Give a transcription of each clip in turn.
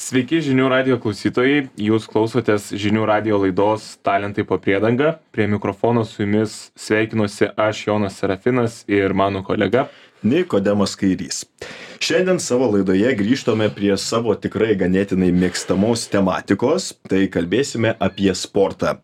Sveiki žinių radijo klausytojai, jūs klausotės žinių radijo laidos Talentai po priedanga. Prie mikrofono su jumis sveikinuosi aš Jonas Serafinas ir mano kolega Nikodemas Kairys. Šiandien savo laidoje grįžtame prie savo tikrai ganėtinai mėgstamos tematikos, tai kalbėsime apie sportą.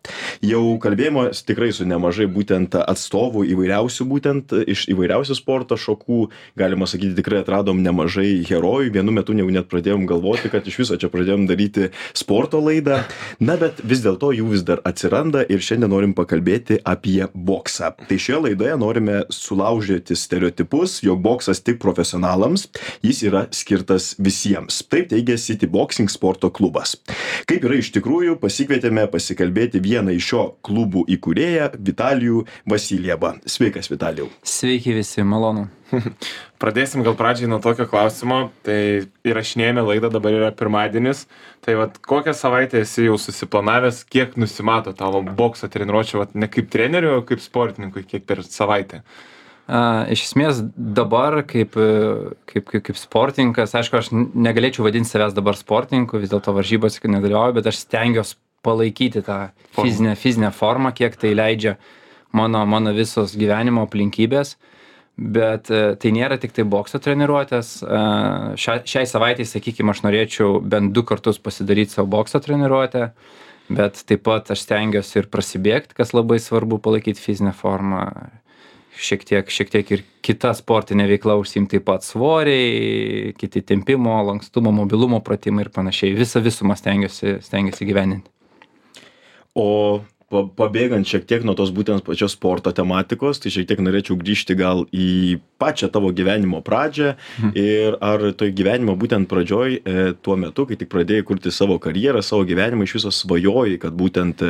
Jau kalbėjome tikrai su nemažai būtent atstovų įvairiausių būtent iš įvairiausių sporto šakų, galima sakyti, tikrai atradom nemažai herojų, vienu metu jau net pradėjom galvoti, kad iš viso čia pradėjom daryti sporto laidą, bet vis dėlto jų vis dar atsiranda ir šiandien norim pakalbėti apie boksą. Tai šioje laidoje norime sulaužyti stereotipus, jog boksas tik profesionalams, jis yra skirtas visiems. Taip teigia City Boxing sporto klubas. Kaip yra iš tikrųjų, pasikvietėme pasikalbėti vieną iš šio klubų įkūrėją, Vitalijų Vasiljevą. Sveikas, Vitalijau. Sveiki visi, malonu. Pradėsim gal pradžiai nuo tokio klausimo. Tai įrašinėjame laidą, dabar yra pirmadienis. Tai kokią savaitę esi jau susiplanavęs, kiek nusimato tavo bokso treniruočio, ne kaip treneriu, o kaip sportininkui, kiek per savaitę? Iš esmės dabar kaip sportininkas, aišku, aš negalėčiau vadinti savęs dabar sportininku, vis dėlto varžybose nedalyvauju, bet aš stengiuosi palaikyti tą fizinę formą, kiek tai leidžia mano visos gyvenimo aplinkybės. Bet tai nėra tik tai bokso treniruotės. Šiai savaitai, sakykime, aš norėčiau bent 2 kartus pasidaryti savo bokso treniruotę, bet taip pat aš stengiuosi ir prasibėgti, kas labai svarbu, palaikyti fizinę formą. Šiek tiek ir kita sportinė veikla užsiimti, taip pat svoriai, kiti tempimo, lankstumo, mobilumo pratimai ir panašiai. Visą visumą stengiuosi gyveninti. O pabėgant šiek tiek nuo tos būtent pačios sporto tematikos, tai šiek tiek norėčiau grįžti gal į pačią tavo gyvenimo pradžią ir ar toj gyvenimo būtent pradžioj tuo metu, kai tik pradėjai kurti savo karjerą, savo gyvenimą, iš viso svajojai, kad būtent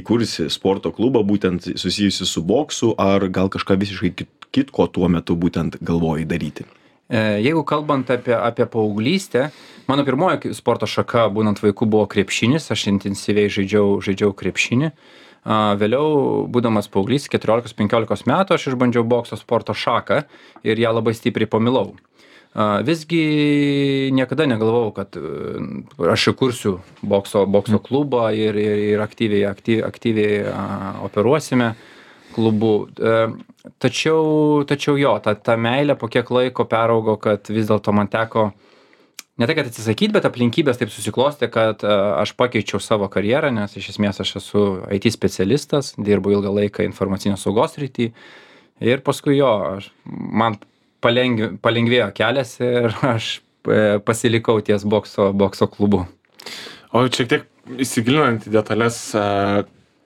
įkursi sporto klubą, būtent susijusi su boksu, ar gal kažką visiškai kitko tuo metu būtent galvojai daryti? Jeigu kalbant apie paauglystę, mano pirmoji sporto šaka būnant vaikų buvo krepšinis, aš intensyviai žaidžiau krepšinį. Vėliau, būdamas paauglys, 14-15 metų, aš išbandžiau bokso sporto šaką ir ją labai stipriai pamilau. Visgi niekada negalvojau, kad aš įkursiu bokso klubą ir aktyviai operuosime klubų. Tačiau jo, ta meilė po kiek laiko peraugo, kad vis dėlto man teko ne tai, kad atsisakyti, bet aplinkybės taip susiklostė, kad aš pakeičiau savo karjerą, nes iš esmės aš esu IT specialistas, dirbu ilgą laiką informacinės saugos srity ir paskui man palengvėjo kelias ir aš pasilikau ties bokso klubu. O šiek tiek įsigilinant į detalės,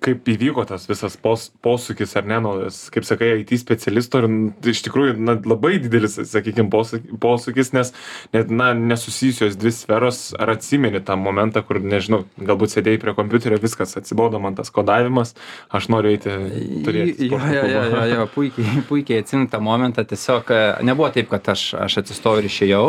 kaip įvyko tas visas posūkis, ar ne, kaip sakai, IT specialisto ir iš tikrųjų labai didelis, sakykime, posūkis, nes net nesusijusios 2 sferos, ar atsimeni tą momentą, kur, nežinau, galbūt sėdėjai prie kompiuterio, viskas atsibodo man tas kodavimas, aš noriu eiti turėti sporto klubą. Jo, puikiai atsimenu tą momentą, tiesiog nebuvo taip, kad aš atsistojau ir išėjau.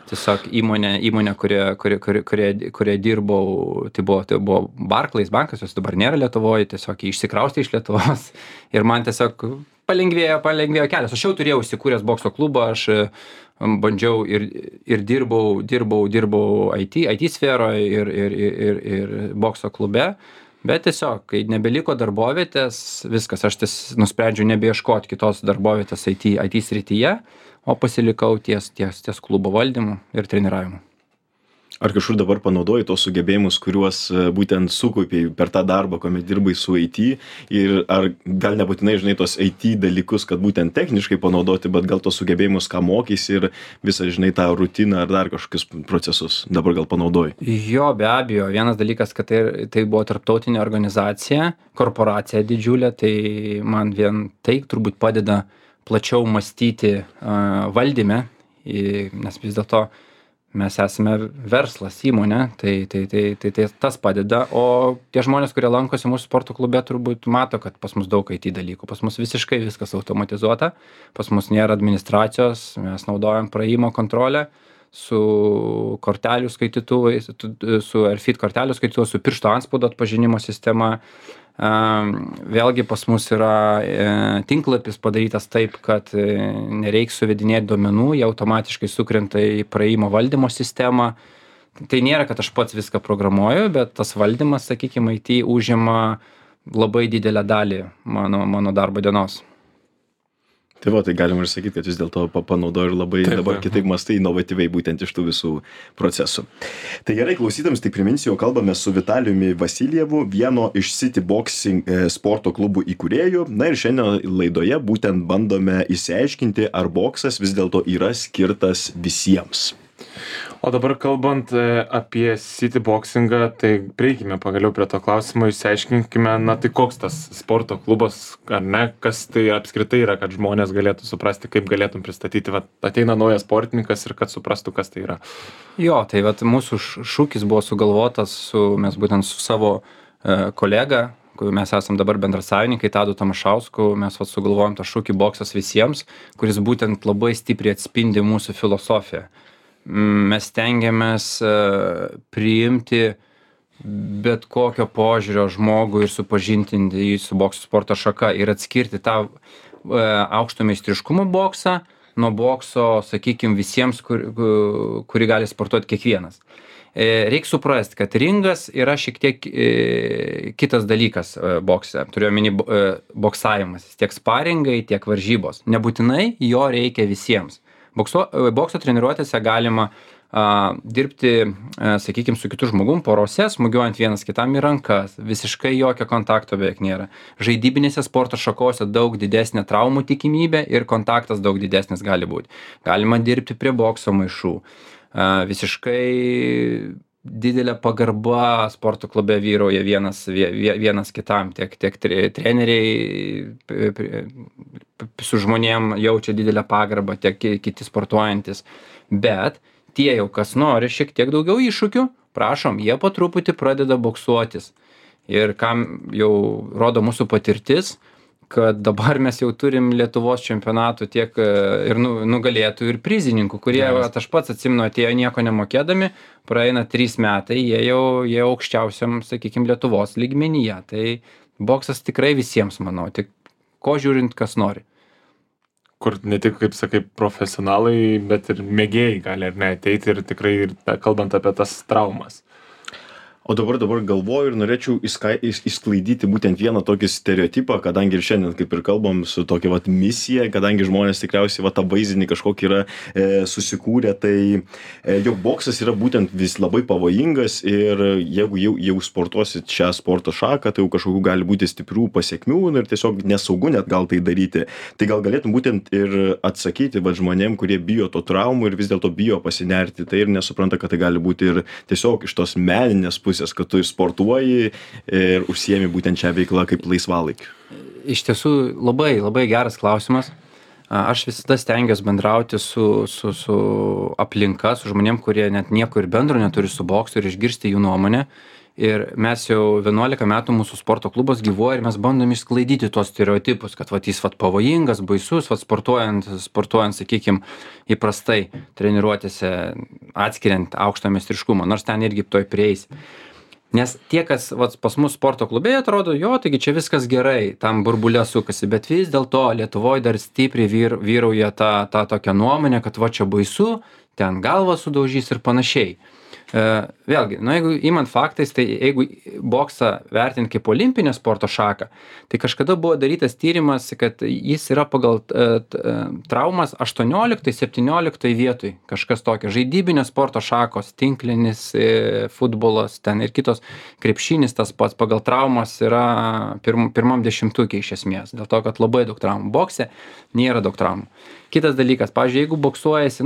Tiesiog įmonė, kurioje dirbau, tai buvo Barclays bankas, jos dabar nėra Lietuvoje, tiesiog išsikraustė iš Lietuvos ir man tiesiog palengvėjo kelias. Aš jau turėjau įsikūręs bokso klubą, aš bandžiau ir dirbau IT sferoje ir bokso klube, bet tiesiog, kai nebeliko darbovietės, viskas, aš nusprendžiau nebeieškoti kitos darbovietės IT srityje, o pasilikau ties klubo valdymu ir treniravimu. Ar kažkur dabar panaudoji tos sugebėjimus, kuriuos būtent sukaupiai per tą darbą, kuomet dirbai su IT, ir ar gal nebūtinai, žinai, tos IT dalykus, kad būtent techniškai panaudoti, bet gal tos sugebėjimus, ką mokysi ir visą, žinai, tą rutiną ar dar kažkokius procesus dabar gal panaudoji? Jo, be abejo. Vienas dalykas, kad tai buvo tarptautinė organizacija, korporacija didžiulė, tai man vien tai turbūt padeda plačiau mąstyti valdyme, nes vis dėlto mes esame verslas, įmonė, tai tas padeda, o tie žmonės, kurie lankosi mūsų sporto klube, turbūt mato, kad pas mus daug IT dalykų, pas mus visiškai viskas automatizuota, pas mus nėra administracijos, mes naudojam praėjimo kontrolę su kortelių skaitytuvais, su RFID kortelių skaitytuvais, su piršto antspaudo atpažinimo sistema. Vėlgi pas mus yra tinklapis padarytas taip, kad nereiks suvedinėti duomenų, jie automatiškai sukrenta į praėjimo valdymo sistemą. tai nėra, kad aš pats viską programuoju, bet tas valdymas, sakykime, IT užima labai didelę dalį mano darbo dienos. Tai va, tai galima ir sakyti, kad vis dėlto panaudoju ir labai dabar kitaip mąstai inovatyviai būtent iš tų visų procesų. Tai gerai, klausytams, tik priminsiu, jau kalbame su Vitalijumi Vasiljevu, vieno iš City Boxing sporto klubų įkūrėjų. Na ir šiandien laidoje būtent bandome išsiaiškinti, ar boksas vis dėlto yra skirtas visiems. O dabar kalbant apie City Boxingą, tai prieikime pagaliau prie to klausimo, išsiaiškinkime, na tai koks tas sporto klubas, ar ne, kas tai apskritai yra, kad žmonės galėtų suprasti, kaip galėtum pristatyti, va, ateina naujas sportininkas ir kad suprastų, kas tai yra. Jo, tai vat, mūsų šūkis buvo sugalvotas mes būtent su savo kolega, mes esam dabar bendrasavininkai, Tadu Tamašausku, mes vat, sugalvojom tą šūkį boksas visiems, kuris būtent labai stipriai atspindi mūsų filosofiją. Mes stengiamės priimti bet kokio požiūrio žmogų ir supažintinti jį su bokso sporto šaka ir atskirti tą aukšto meistriškumo boksą nuo bokso, sakykime, visiems, kurį gali sportuoti kiekvienas. Reikia suprasti, kad ringas yra šiek tiek kitas dalykas bokse. Turiu omeny boksavimas, tiek sparingai, tiek varžybos. Nebūtinai jo reikia visiems. Bokso treniruotėse galima dirbti, sakykime, su kitu žmogum porose, smūgiuojant vienas kitam į rankas. Visiškai jokio kontakto beveik nėra. Žaidybinėse sporto šakose daug didesnė traumų tikimybė ir kontaktas daug didesnis gali būti. Galima dirbti prie bokso maišų. Visiškai didelė pagarba sporto klube vyrauja vienas kitam, tiek treneriai su žmonėm jaučia didelę pagarbą, tiek kiti sportuojantis. Bet tie jau kas nori šiek tiek daugiau iššūkių, prašom, jie po truputį pradeda boksuotis. Ir kam jau rodo mūsų patirtis, kad dabar mes jau turim Lietuvos čempionatų tiek ir nugalėtų ir prizininkų, kurie, aš pats atsimenu, atėjo nieko nemokėdami, praeina 3 metai, jie aukščiausiam, sakykime, Lietuvos lygmenyje. Tai boksas tikrai visiems, manau, tik ko žiūrint, kas nori. Kur ne tik, kaip sakai, profesionalai, bet ir mėgėjai gali ar ne ateiti ir tikrai, kalbant apie tas traumas. O dabar galvoju ir norėčiau išsklaidyti būtent vieną tokį stereotipą, kadangi ir šiandien, kaip ir kalbam, su tokia vat misija, kadangi žmonės tikriausiai vat tą vaizdinį kažkokį yra susikūrę, tai jog boksas yra būtent vis labai pavojingas ir jeigu jau sportuosit šią sporto šaką, tai jau kažkokių gali būti stiprių pasiekmių ir tiesiog nesaugu net gal tai daryti. Tai gal galėtum būtent ir atsakyti vat žmonėm, kurie bijo to traumų ir vis dėlto bijo pasinerti, tai ir nesupranta, kad tai gali būti ir tiesiog iš tos meninės pusės, kad tu sportuoji ir užsiemi būtent šią veiklą kaip laisvalaikiu? Iš tiesų labai geras klausimas. Aš visada stengiuosi bendrauti su aplinka, su žmonėm, kurie net nieko ir bendro neturi su boksu ir išgirsti jų nuomonę. Ir mes jau 11 metų mūsų sporto klubas gyvuoja ir mes bandom išsklaidyti tuos stereotipus, kad jis pavojingas, baisus, sportuojant, sakykime, įprastai treniruotėse atskiriant aukštą meistriškumą, nors ten irgi toj prieis. Nes tie, kas pas mus sporto klube atrodo, taigi čia viskas gerai, tam burbulė sukasi, bet vis dėlto Lietuvoje dar stipriai vyrauja ta tokia nuomonė, kad čia baisu, ten galvą sudaužys ir panašiai. Vėlgi, jeigu imant faktais, tai jeigu boksą vertinti kaip olimpinę sporto šaką, tai kažkada buvo darytas tyrimas, kad jis yra pagal traumas 18-17 vietoj, kažkas tokio. Žaidybinės sporto šakos, tinklinis, futbolas, ten ir kitos, krepšinis tas pats, pagal traumas yra pirmam 10 iš esmės, dėl to, kad labai daug traumų. Bokse nėra daug traumų. Kitas dalykas, pavyzdžiui, jeigu boksuojasi,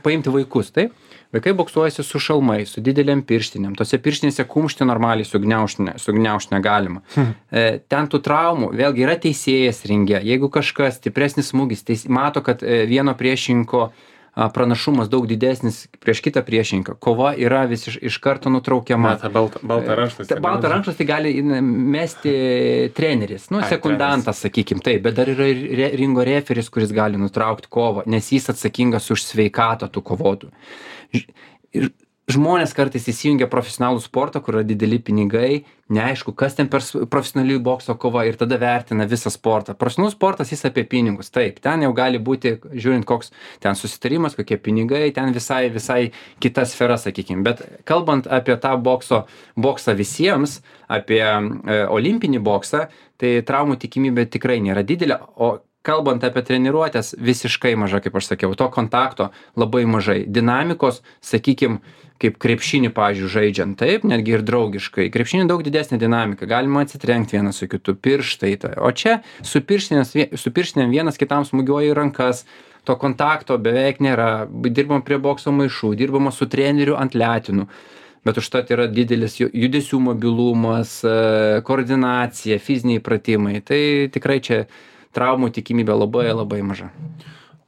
paimti vaikus, taip? Vaikai boksuojasi su šalmai, su didelėm pirštinėm. Tose pirštinėse kumštį normaliai sugniaužti negalima. Ten tų traumų, vėlgi yra teisėjas ringe. Jeigu kažkas stipresnis smūgis, mato, kad vieno priešininko pranašumas daug didesnis prieš kitą priešininką. Kova yra iš karto nutraukiama. Baltą rankšluostį. Baltą rankšluostį gali mesti treneris, sekundantas, sakykime, taip, bet dar yra ir ringo referis, kuris gali nutraukti kovą, nes jis atsakingas už sveikatą tų kovotų. Ir žmonės kartais įsijungia profesionalų sportą, kur yra dideli pinigai, neaišku, kas ten per profesionalių bokso kova ir tada vertina visą sportą. Profesionalus sportas jis apie pinigus, taip, ten jau gali būti, žiūrint, koks ten susitarimas, kokie pinigai, ten visai kita sfera, sakykime. Bet kalbant apie tą boksą visiems, apie olimpinį boksą, tai traumų tikimybė tikrai nėra didelė, o kalbant apie treniruotės, visiškai maža, kaip aš sakiau, to kontakto labai mažai. Dinamikos, sakykim, kaip krepšinį, pavyzdžiui, žaidžiant, taip, netgi ir draugiškai. Krepšinį daug didesnė dinamika, galima atsitrenkti vienas su kitu, pirštai. O čia su pirštinėm vienas kitam smūgiuoja į rankas, to kontakto beveik nėra, dirbam prie bokso maišų, dirbama su treneriu ant letinų. Bet užtat yra didelis judesių mobilumas, koordinacija, fiziniai pratimai. Tai tikrai čia traumų tikimybė labai maža.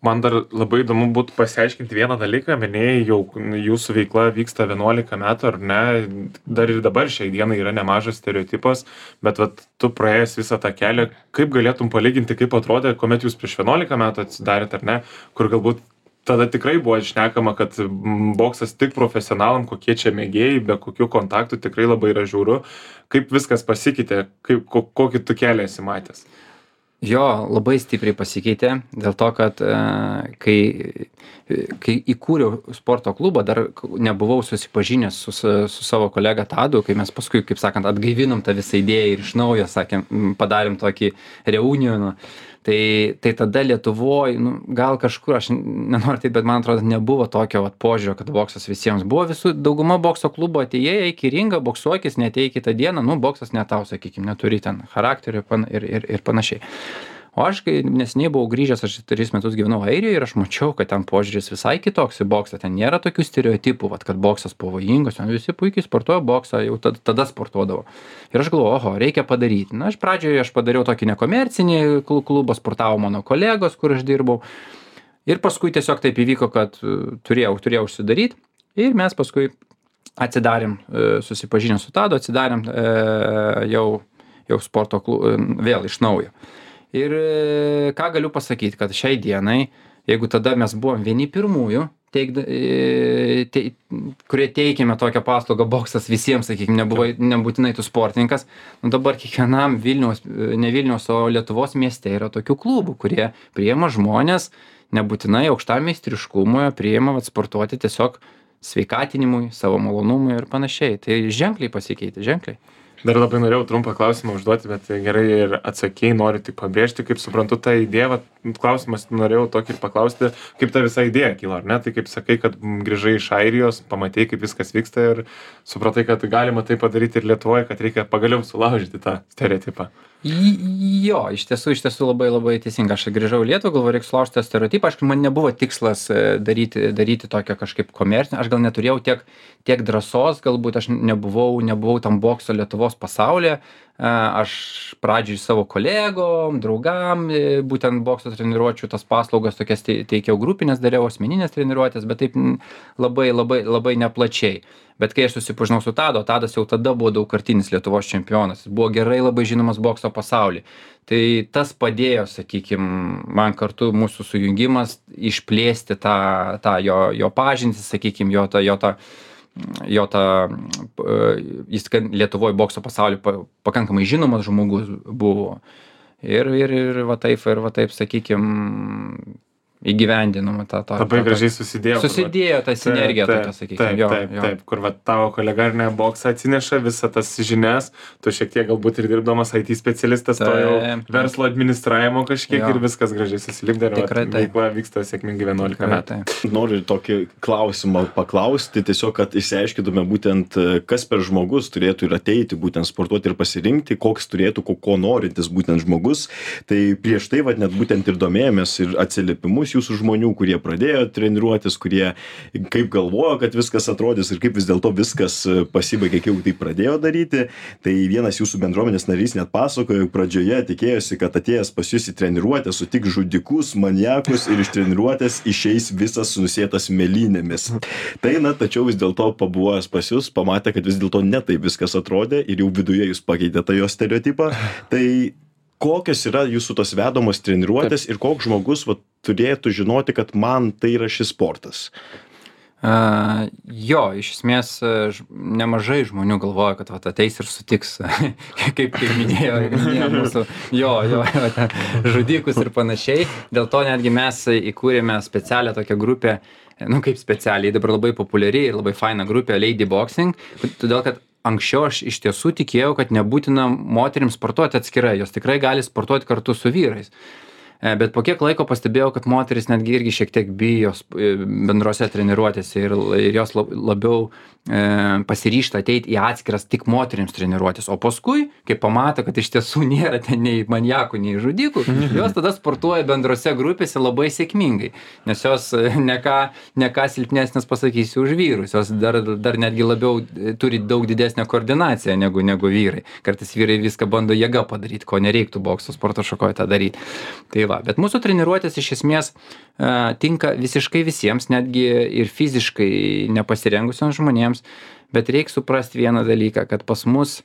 Man dar labai įdomu būtų pasiaiškinti vieną dalyką, minėjai, jau jūsų veikla vyksta 11 metų, ar ne, dar ir dabar šiai dienai yra nemažas stereotipas, bet vat, tu praėjęs visą tą kelią, kaip galėtum palyginti, kaip atrodė, kuomet jūs prieš 11 metų atsidarėt, ar ne, kur galbūt tada tikrai buvo šnekama, kad boksas tik profesionalam, kokie čia mėgėjai, be kokių kontaktų, tikrai labai yra žiauru, kaip viskas pasikeitė, kokį tu kelią esi matęs. Jo, labai stipriai pasikeitė, dėl to, kad kai įkūriau sporto klubą, dar nebuvau susipažinęs su savo kolega Tadu, kai mes paskui, kaip sakant, atgaivinom tą visą idėją ir iš naujo, sakėm, padarėm tokį reunioną. Tai tada Lietuvoje, gal kažkur, aš nenoriu taip, bet man atrodo, nebuvo tokio požiūrio, kad boksas visiems buvo. Dauguma bokso klubo atėjai, eik į ringą, boksuokis, neteik kitą dieną, boksas ne tau, sakykime, neturi ten charakterio ir panašiai. O aš, kai neseniai buvau grįžęs, aš 3 metus gyvenau Airijoje ir aš mačiau, kad ten požiūris visai kitoks į boksą, ten nėra tokių stereotipų, kad boksas pavojingas, ten visi puikiai sportuoja boksą, jau tada sportuodavo. Ir aš galvoju, oho, reikia padaryti. Aš pradžioje padariau tokį nekomercinį klubą, sportavo mano kolegos, kur aš dirbau. Ir paskui tiesiog taip įvyko, kad turėjau užsidaryti ir mes paskui atsidarėm, susipažinę su Tadu, atsidarėm jau sporto klubą vėl iš naujo. Ir ką galiu pasakyti, kad šiai dienai, jeigu tada mes buvom vieni pirmųjų, kurie teikėme tokią paslaugą boksas visiems, sakykime, nebūtinai tu sportininkas, dabar kiekvienam ne Vilniaus, o Lietuvos mieste yra tokių klubų, kurie priima žmonės, nebūtinai aukštam meistriškumui, priima sportuoti tiesiog sveikatinimui, savo malonumui ir panašiai. Tai ženkliai pasikeitė, ženkliai. Dar labai norėjau trumpą klausimą užduoti, bet gerai ir atsakėjai, noriu tik pabrėžti, kaip suprantu tą idėją, klausimas norėjau tokį paklausti, kaip ta visa idėja kilo, ar ne? Tai kaip sakai, kad grįžai iš Airijos, pamatei, kaip viskas vyksta ir supratai, kad galima tai padaryti ir Lietuvoje, kad reikia pagaliau sulaužyti tą stereotipą. Jo, iš tiesų labai teisinga. Aš grįžau į Lietuvą, galvoju, reikia sulaužti tą stereotipą. Aišku, man nebuvo tikslas daryti tokio kažkaip komercinio. Aš gal neturėjau tiek drąsos, galbūt aš nebuvau tam bokso Lietuvos pasaulyje. Aš pradžioj savo kolegom, draugam, būtent bokso treniruočių tas paslaugas tokias teikiau grupinės, dariau asmeninės treniruotės, bet taip labai neplačiai. Bet kai aš susipažinau su Tadu, Tadas jau tada buvo daugkartinis Lietuvos čempionas, jis buvo gerai labai žinomas bokso pasaulyje. Tai tas padėjo, sakykime, man kartu mūsų sujungimas išplėsti tą jo pažintį, sakykime, jis Lietuvoje bokso pasaulyje pakankamai žinomas žmogus buvo. Ir va taip, sakykime, įgyvendinama tą. Labai gražiai susidėjo. Susidėjo ta sinergija, tokia, sakykime. Taip, kur tavo kolega ar ne boksą atsineša visą tas žinias, tu šiek tiek galbūt ir dirbdamas IT specialistas, to jau verslo administravimo kažkiek ir viskas gražiai susilipdė ir veikla vyksta sėkmingai 11 metų. Noriu tokį klausimą paklausti, tiesiog, kad išsiaiškintume būtent, kas per žmogus turėtų ir ateiti, būtent sportuoti ir pasirinkti, koks turėtų, ko norintis būtent žmogus. Tai prieš tai, net būtent ir domėjomės ir atsiliepimus jūsų žmonių, kurie pradėjo treniruotis, kurie kaip galvojo, kad viskas atrodys ir kaip vis dėlto viskas pasibaigė, kai jau tai pradėjo daryti. Tai vienas jūsų bendruomenės narys net pasakojo, pradžioje tikėjosi, kad atėjęs pas jūs į treniruotę sutik žudikus, maniakus ir iš treniruotės išeis visas nusėtas mėlynėmis. Tai, tačiau vis dėlto pabuvojęs pas jūs, pamatė, kad vis dėlto ne taip viskas atrodė ir jau viduje jūs pakeitėte jo stereotipą. Tai kokios yra jūsų tos vedamos treniruotės ir koks žmogus turėtų žinoti, kad man tai yra šis sportas? Jo, iš esmės nemažai žmonių galvoja, kad vat, ateis ir sutiks, kaip minėjo mūsų, ten, žudikus ir panašiai. Dėl to netgi mes įkūrėme specialią tokią grupę, kaip specialiai, dabar labai populiari ir labai faina grupė Lady Boxing, todėl kad anksčiau aš iš tiesų tikėjau, kad nebūtina moterims sportuoti atskirai, jos tikrai gali sportuoti kartu su vyrais. Bet po kiek laiko pastebėjau, kad moteris netgi irgi šiek tiek bijo bendrose treniruotėse ir jos labiau pasiryžta ateiti į atskiras tik moterims treniruotės. O paskui, kai pamato, kad iš tiesų nėra ten nei maniakų, nei žudikų, jos tada sportuoja bendrose grupėse labai sėkmingai. Nes jos ne ką silpnesnės, pasakysiu, už vyrus. Jos dar netgi labiau turi daug didesnę koordinaciją negu vyrai. Kartais vyrai viską bando jėga padaryti, ko nereiktų bokso sporto šakoje tą daryti. Tai va, bet mūsų treniruotės iš esmės tinka visiškai visiems, netgi ir fiziškai nepasirengusiems žmonėms, bet reikia suprasti vieną dalyką, kad pas mus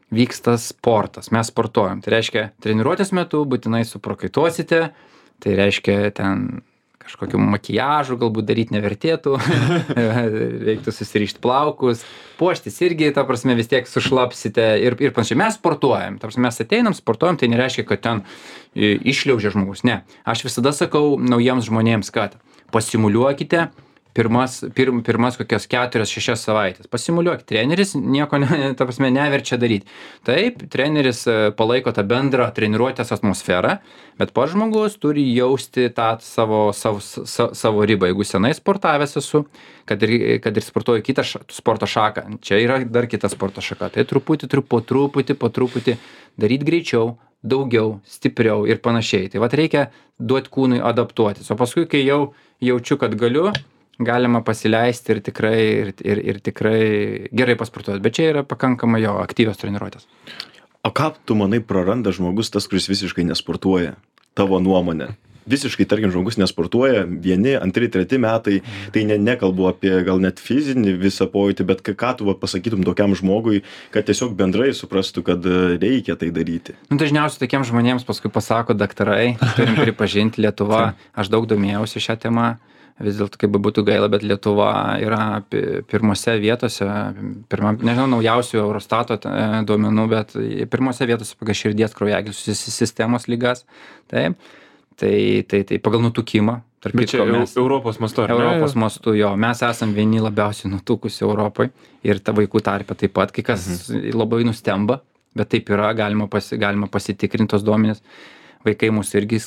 vyksta sportas, mes sportuojam. Tai reiškia, treniruotės metu būtinai suprakaituosite, tai reiškia ten kažkokiu makiažu galbūt daryti nevertėtų, reiktų susirišti plaukus, puoštis irgi, ta prasme, vis tiek sušlapsite ir panašiai. Mes sportuojam, ta prasme, mes ateinam, sportuojam, tai nereiškia, kad ten išliaužia žmogus, ne. Aš visada sakau naujiems žmonėms, kad pasimuliuokite pirmas kokias 4-6 savaitės. Pasimuliuokit, treneris nieko ta prasme neverčia daryti. Taip, treneris palaiko tą bendrą treniruotės atmosferą, bet pats žmogus turi jausti tą savo ribą. Jeigu senai sportavęs esu, kad ir sportuoju kitą sporto šaką, čia yra dar kita sporto šaka, tai po truputį daryti greičiau, daugiau, stipriau ir panašiai. Tai vat reikia duoti kūnui adaptuotis. O paskui, kai jau jaučiu, kad galiu, galima pasileisti ir tikrai gerai pasportuoti. Bet čia yra pakankamai jo aktyvios treniruotės. O ką tu manai praranda žmogus, tas, kuris visiškai nesportuoja? Tavo nuomonė. Visiškai, tarkim, žmogus nesportuoja, 1, 2, 3 metai, tai nekalbu apie gal net fizinį visą pojūtį, bet ką tu pasakytum tokiam žmogui, kad tiesiog bendrai suprastų, kad reikia tai daryti? Dažniausiai tokiems žmonėms paskui pasako daktarai, turim pripažinti, Lietuva, aš daug domėjausi šią temą, vis dėlto kaip būtų gaila, bet Lietuva yra pirmose vietose, nežinau, naujausių Eurostato duomenų, bet pirmose vietose pagal širdies kraujagyslių sistemos ligas. Taip. Tai pagal nutukimą. Bet čia Europos mastu, ar ne? Europos mastu, jo. Mes esam vieni labiausiai nutukusi Europai ir ta vaikų tarpe taip pat, kai kas labai nustemba, bet taip yra, galima pasitikrinti tos duomenys. Vaikai mūsų irgi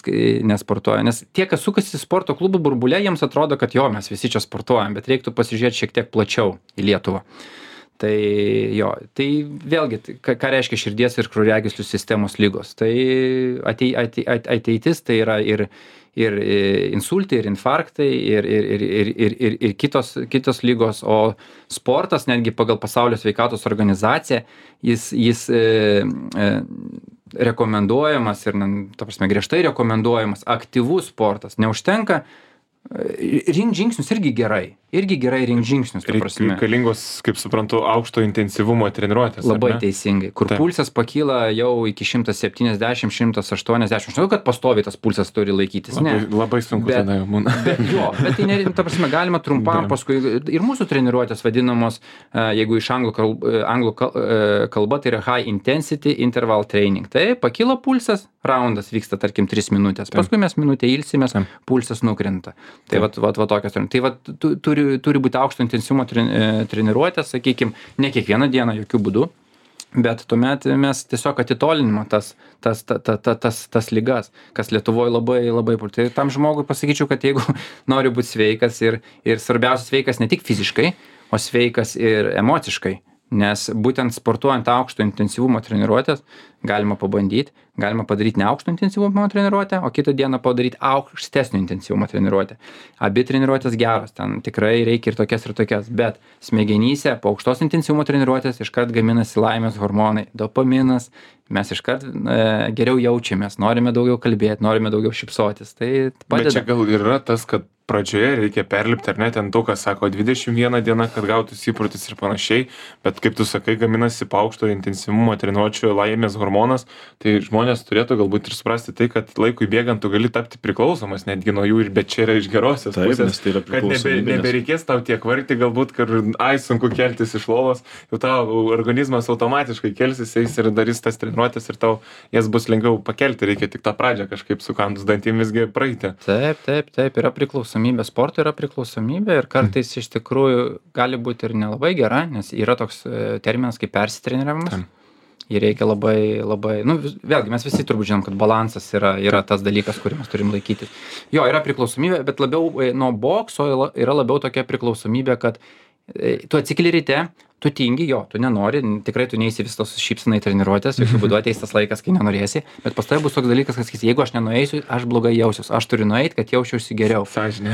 nesportuoja, nes tie, kas sukasi sporto klubų burbulė, jiems atrodo, kad jo, mes visi čia sportuojam, bet reiktų pasižiūrėti šiek tiek plačiau į Lietuvą. Tai jo, tai vėlgi, ką reiškia širdies ir kraujagyslių sistemos ligos. Tai ateitis tai yra ir insultai, ir infarktai, ir kitos ligos, o sportas, netgi pagal Pasaulio sveikatos organizaciją, jis rekomenduojamas ir, ta prasme, griežtai rekomenduojamas aktyvus sportas. Neužtenka rinkt žingsnius irgi gerai rinkt žingsnius, ta prasme. Reikalingos, kaip suprantu, aukšto intensyvumo treniruotės. Labai teisingai, kur pulsas pakyla jau iki 170, 180. Žinau, kad pastoviai tas pulsas turi laikytis. Labai sunku tada jau būna. Bet tai, ta prasme, galima trumpam paskui ir mūsų treniruotės vadinamos, jeigu iš anglų kalba, tai yra high intensity interval training. Tai pakyla pulsas, raundas vyksta, tarkim, 3 minutės. Paskui mes minutę ilsimės, pulsas nukrenta. Tai va tokios. Tai va turi būti aukšto intensyvumo treniruotės, sakykime, ne kiekvieną dieną, jokių būdų, bet tuomet mes tiesiog atitolinimo tas ligas, kas Lietuvoje labai. Tai tam žmogui pasakyčiau, kad jeigu nori būti sveikas ir svarbiausia sveikas ne tik fiziškai, o sveikas ir emociškai, nes būtent sportuojant aukšto intensyvumo treniruotės galima pabandyti, galima padaryti ne aukšto intensyvumo treniruotę, o kitą dieną padaryti aukštesnio intensyvumo treniruotę. Abi treniruotės geros, ten tikrai reikia ir tokias, bet smegenyse po aukštos intensyvumo treniruotės iškart gaminasi laimės hormonai, dopaminas, mes iškart geriau jaučiamės, norime daugiau kalbėti, norime daugiau šypsotis. Tai padeda. Bet čia gal yra tas, kad pradžioje reikia perlipti, ar ne, ten daug kas sako 21 diena, kad gautųsi įprotis ir panašiai, bet kaip tu sakai, gaminasi paaukšto intensyvumo treniruočių laimės hormonas, tai žmonės turėtų galbūt ir suprasti tai, kad laikui bėgant tu gali tapti priklausomas netgi nuo jų, bet čia yra iš gerosios pusės, tai yra kad nebereikės tau tiek vargti, galbūt, kad sunku keltis iš lovos, jau tavo organizmas automatiškai kelsis, eis ir darys tas treniruotės ir tau jas bus lengviau pakelti, reikia tik tą pradžią kažkaip sukandus dantim visgi praeiti. Taip, yra priklausomybė, sporto yra priklausomybė ir kartais iš tikrųjų gali būti ir nelabai gera, nes yra toks terminas kaip persitreniravimas. Ir reikia labai, vėlgi mes visi turbūt žinom, kad balansas yra tas dalykas, kurį mes turim laikyti. Jo, yra priklausomybė, bet labiau nuo bokso yra labiau tokia priklausomybė, kad tu atsikeli ryte, tu tingi, tu nenori, tikrai tu neįsi vis tos šypsenai treniruotės, jokių būdų ateis tas laikas, kai nenorėsi, bet pas tave bus toks dalykas, kad sakysi, jeigu aš nenueisiu, aš blogai jausiuos, aš turiu nueiti, kad jausčiausi geriau. Sąžinė.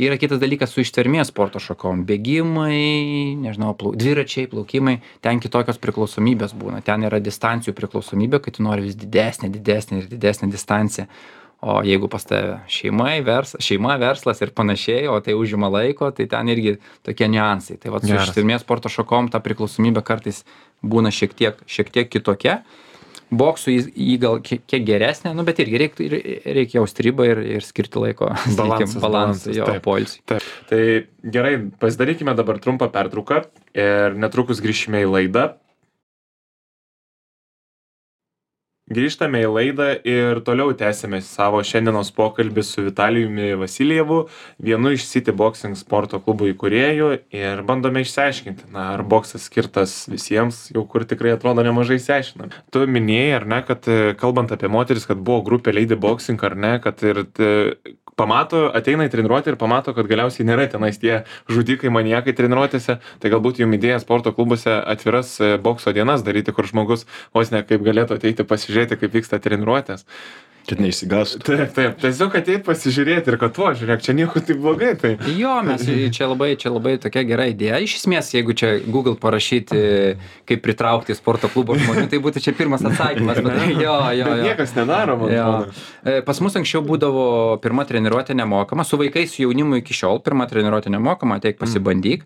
Yra kitas dalykas su ištvermės sporto šakom, bėgimai, nežinau, dviračiai, plaukimai, ten kitokios priklausomybės būna, ten yra distancijų priklausomybė, kai tu nori vis didesnę distanciją. O jeigu pas tave šeima, verslas ir panašiai, o tai užima laiko, tai ten irgi tokie niuansai. Tai vat su ištvermės sporto šakom ta priklausomybė kartais būna šiek tiek kitokia. Boksų jį gal kiek geresnė, bet irgi reikia jausti ribą ir skirti laiko balansui, poilsiui. Tai gerai, pasidarykime dabar trumpą pertrauką ir netrukus grįšime į laidą. Grįžtame į laidą ir toliau tęsime savo šiandienos pokalbį su Vitalijumi Vasiljevu, vienu iš City Boxing sporto klubų įkūrėjų, ir bandome išsiaiškinti, ar boksas skirtas visiems, jau kur tikrai atrodo nemažai išsiaiškinam. Tu minėjai, ar ne, kad kalbant apie moteris, kad buvo grupė Lady Boxing, ar ne, kad ir ateina į treniruotę ir pamato, kad galiausiai nėra tenais tie žudikai, maniakai treniruotėse, tai galbūt jums idėja sporto klubuose atviras bokso dienas daryti, kur žmogus vos ne kaip galėtų ateiti pasižiūrėti, kaip vyksta treniruotės. Kad neišsigąstų. Taip, tiesiog ateit pasižiūrėti ir kad žiūrėk, čia nieko taip blogai. Tai. Jo, čia labai tokia gera idėja. Iš esmės, jeigu čia Google parašyti, kaip pritraukti sporto klubo žmonių, tai būtų čia pirmas atsakymas. Bet niekas nedaro, man atrodo. Pas mus anksčiau būdavo pirma treniruotė nemokama, su vaikais, su jaunimu iki šiol pirma treniruotė nemokama, ateik pasibandyk.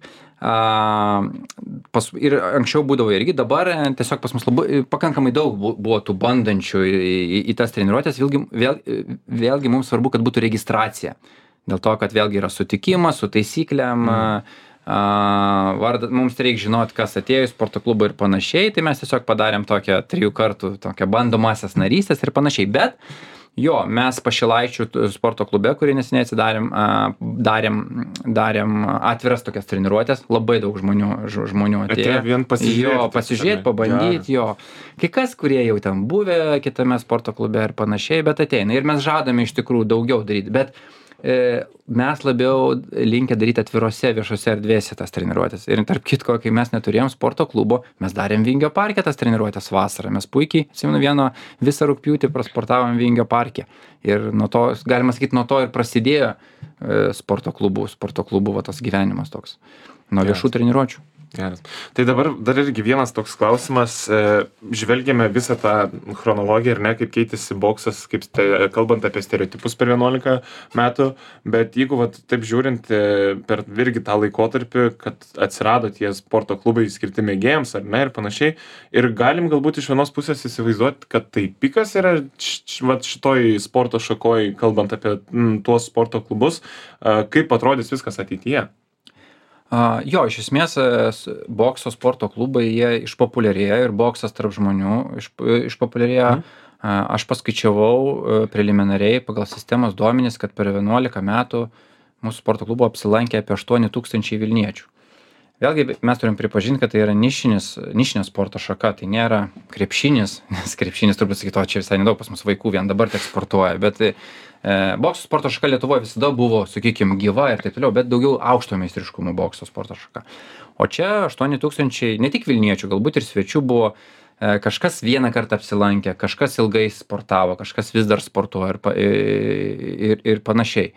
Ir anksčiau būdavo irgi, dabar tiesiog pas mus pakankamai daug buvo tų bandančių į tas treniruotės, vėlgi mums svarbu, kad būtų registracija, dėl to, kad vėlgi yra sutikimas su taisyklėm, mums reikia žinoti, kas atėjo į sporto klubą ir panašiai, tai mes tiesiog padarėm tokią 3 kartų tokią bandomasias narystės ir panašiai, bet mes Pašilaičių sporto klube, kurį neseniai atsidarėm, darėm atviras tokias treniruotės, labai daug žmonių atėjo. Pasižiūrėti, pabandyti, kai kas, kurie jau ten buvę kitame sporto klube ir panašiai, bet ateina. Ir mes žadame iš tikrųjų daugiau daryti, bet mes labiau linkę daryti atvirose viešose erdvėse tas treniruotės. Ir tarp kitko, kai mes neturėjom sporto klubo, mes darėm Vingio parke tas treniruotės vasarą. Mes puikiai, visą rugpjūtį prasportavom Vingio parke. Ir nuo to, galima sakyti, nuo to ir prasidėjo sporto klubų tas gyvenimas toks. Nuo viešų treniruočių. Geras. Tai dabar dar irgi vienas toks klausimas, žvelgiame visą tą chronologiją ir ne, kaip keitėsi boksas, kalbant apie stereotipus per 11 metų, bet jeigu taip žiūrint per irgi tą laikotarpį, kad atsirado tie sporto klubai skirti mėgėjams ar ne ir panašiai, ir galim galbūt iš vienos pusės įsivaizduoti, kad tai pikas yra šitoj sporto šakoj, kalbant apie tuos sporto klubus, kaip atrodys viskas ateityje. Iš esmės bokso sporto klubai jie išpopuliarėjo ir boksas tarp žmonių išpopuliarėjo. Aš paskaičiavau preliminariai pagal sistemos duomenis, kad per 11 metų mūsų sporto klubo apsilankė apie 8,000 Vilniečių. Vėlgi mes turim pripažinti, kad tai yra nišinė sporto šaka, tai nėra krepšinis, nes krepšinis turbūt sakytų, čia visai nedaug pas mus vaikų vien dabar tik sportuoja, bet bokso sporto šaka Lietuvoje visada buvo, sakykime, gyva ir taip toliau, bet daugiau aukšto meistriškumo bokso sporto šaka. O čia 8,000 ne tik Vilniečių, galbūt ir svečių buvo, kažkas vieną kartą apsilankė, kažkas ilgai sportavo, kažkas vis dar sportuoja ir panašiai.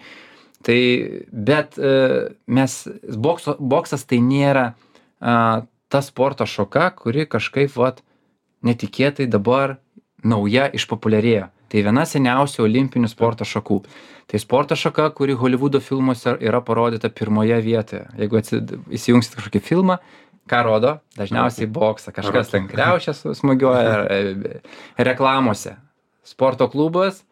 Tai, bet boksas tai nėra ta sporto šaka, kuri kažkaip netikėtai dabar nauja išpopuliarėjo. tai viena seniausių olimpinių sporto šakų. Tai sporto šaka, kuri Holivudo filmuose yra parodyta pirmoje vietoje. Jeigu įsijungsit kažkokį filmą, ką rodo? Dažniausiai boksą, kažkas ten kriaušės smūgiuoja reklamose. Sporto klubas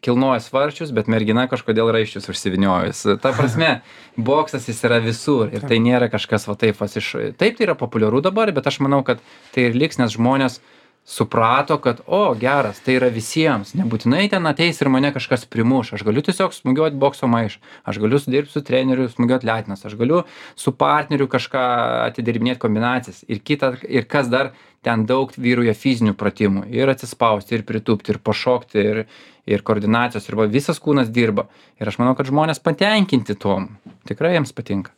kilnoja svarčius, bet mergina kažkodėl raiščius užsiviniojus. Ta prasme, boksas jis yra visur ir tai nėra kažkas va taip, taip tai yra populiaru dabar, bet aš manau, kad tai ir liks, nes žmonės suprato, kad, geras, tai yra visiems, nebūtinai ten ateis ir mane kažkas primuš, aš galiu tiesiog smūgiuoti bokso maišą, aš galiu dirbti su treneriu, smūgiuoti letinas, aš galiu su partneriu kažką atidirbinėti kombinacijas ir kas dar ten daug vyruoja fizinių pratimų ir atsispausti, ir pritūpti, ir pašokti, ir koordinacijos, ir visas kūnas dirba. Ir aš manau, kad žmonės patenkinti tuom, tikrai jiems patinka.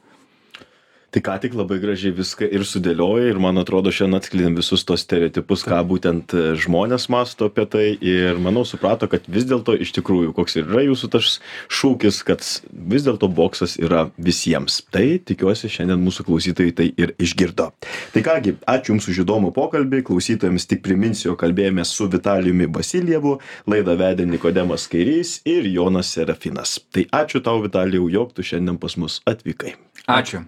Tai ką tik labai gražiai viską ir sudėlioja ir man atrodo šiandien atskleidėm visus tos stereotipus, ką būtent žmonės mąsto apie tai ir manau suprato, kad vis dėlto iš tikrųjų koks yra jūsų tas šūkis, kad vis dėlto boksas yra visiems. Tai tikiuosi šiandien mūsų klausytojai tai ir išgirdo. Tai kągi, ačiū Jums už įdomų pokalbį, klausytojams tik priminsiu, kalbėjome su Vitalijumi Vasiljevu, laidą vedė Nikodemas Kairys ir Jonas Serafinas. Tai ačiū tau, Vitalijau, jog tu šiandien pas mus atvykai. Ačiū.